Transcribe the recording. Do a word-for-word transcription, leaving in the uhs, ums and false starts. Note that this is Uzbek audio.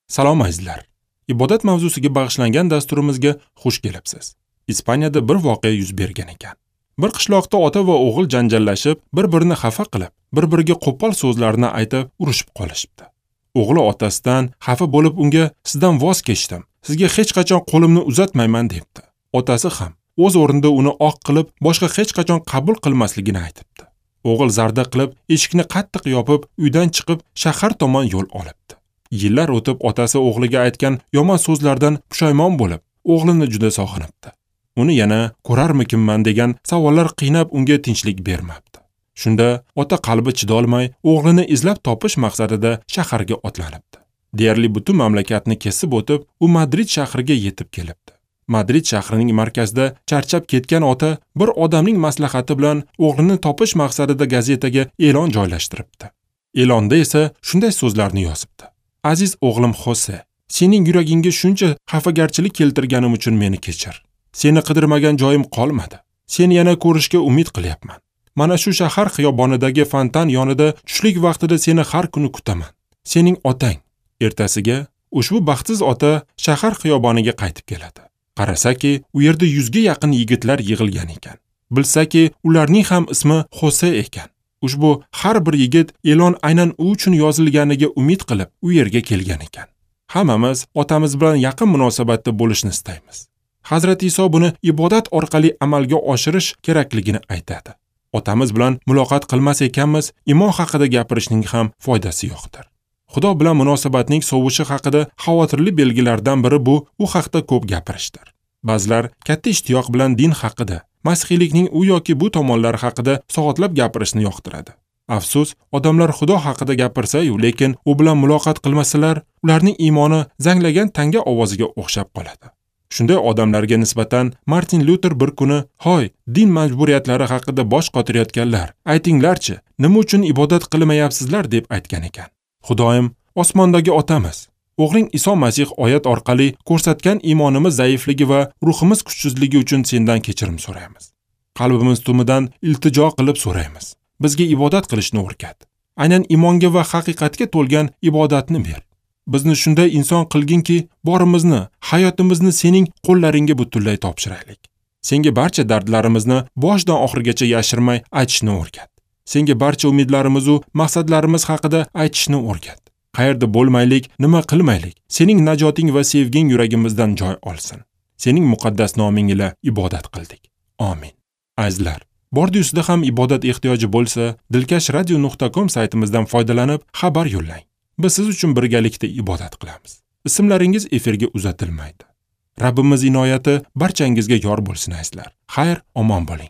Salom azizlar. Ibodat mavzusiga bag'ishlangan dasturimizga xush kelibsiz. Ispaniyada bir voqea yuz bergan ekan. Bir qishloqda ota va o'g'il janjallashib, bir-birini xafa qilib, bir-biriga qo'pol so'zlarni aytib, urushib qolishibdi. O'g'li otasidan xafa bo'lib unga "Sizdan voz kechdim, sizga hech qachon qo'limni uzatmayman" debdi. Otasi ham o'z o'rnida uni oq qilib, boshqa hech qachon qabul qilmasligini aytibdi. O'g'il zarda qilib, eshikni qattiq yopib, uydan chiqib, shahar tomon yo'l olibdi. Yillar o'tib otasi o'g'liga aytgan yomon so'zlardan pushaymon bo'lib, o'g'lini juda sog'inibdi. Uni yana ko'rarmikinman degan savollar qiynab unga tinchlik bermabdi. Shunda ota qalbi chidolmay, o'g'lini izlab topish maqsadida shaharga otlanibdi. Deyarli butun mamlakatni kesib o'tib, u Madrid shahriga yetib kelibdi. Madrid shahrining markazida charchab ketgan ota bir odamning maslahati bilan o'g'lini topish maqsadida gazetaga e'lon joylashtiribdi. E'londa esa shunday so'zlarni yozibdi: "Aziz o'g'lim Xose, sening yuragingga shuncha xafagarchilik keltirganim uchun meni kechir. Seni qidirmagan joyim qolmadi. Seni yana ko'rishga umid qilyapman. Mana shu shahar xiyobonidagi fontan yonida tushlik vaqtida seni har kuni kutaman. Sening otang." Ertasiga ushbu baxtsiz ota shahar xiyoboniga qaytib keladi. Qarasaki, u yerda yuzga yaqin yigitlar yig'ilgan ekan. Bilsaki, ularning ham ismi Xose ekan. Ushbu har bir yigit e'lon aynan u uchun yozilganiga umid qilib, u yerga kelgan ekan. Hammamiz otamiz bilan yaqin munosabatda bo'lishni istaymiz. Hazrat Iso buni ibodat orqali amalga oshirish kerakligini aytadi. Otamiz bilan muloqot qilmas ekanmiz, iymon haqida gapirishning ham foydasi yo'qdir. Xudo bilan munosabatning sovishi haqida xavotirli belgilardan biri bu u haqda ko'p gapirishdir. Ba'zilar katta ishtiyoq bilan din haqida, masihiylikning u yoki bu tomonlari haqida soatlab gapirishni yoqtiradi. Afsus, odamlar Xudo haqida gapirsa-yu, lekin u bilan muloqot qilmasalar, ularning iymoni zanglagan tanga ovoziga o'xshab qoladi. Shunday odamlarga nisbatan Martin Luther bir kuni, "Hoy, din majburiyatlari haqida bosh qotirayotganlar, aytinglarchi, nima uchun ibodat qilmayapsizlar?" deb aytgan ekan. Xudoyim, osmondagi otamiz, o'g'ling Iso Masih oyat orqali ko'rsatgan iymonimiz zaifligi va ruhimiz kuchsizligi uchun sendan kechirim so'raymiz. Qalbimiz tumidan iltijo qilib so'raymiz. Bizga ibodat qilishni o'rgat. Aynan iymonga va haqiqatga to'lgan ibodatni ber. Bizni shunday inson qilginki, borimizni, hayotimizni sening qo'llaringga butunlay topshiraylik. Senga barcha dardlarimizni boshdan oxirigacha yashirmay aytishni o'rgat. Senga barcha umidlarimiz va maqsadlarimiz haqida aytishni o'rgat. Qayerda bo'lmaylik, nima qilmaylik, sening najoting va sevging yuragimizdan joy olsin. Sening muqaddas noming ila ibodat qildik. Amin. Azizlar, bordi-ustida ham ibodat ehtiyoji bo'lsa, dilkash radio nuqta com saytimizdan foydalanib xabar yo'llang. Biz siz uchun birgalikda ibodat qilamiz. Ismlaringiz efirga uzatilmaydi. Rabbimiz inoyati barchangizga yor bo'lsin azizlar. Xayr, omon bo'ling.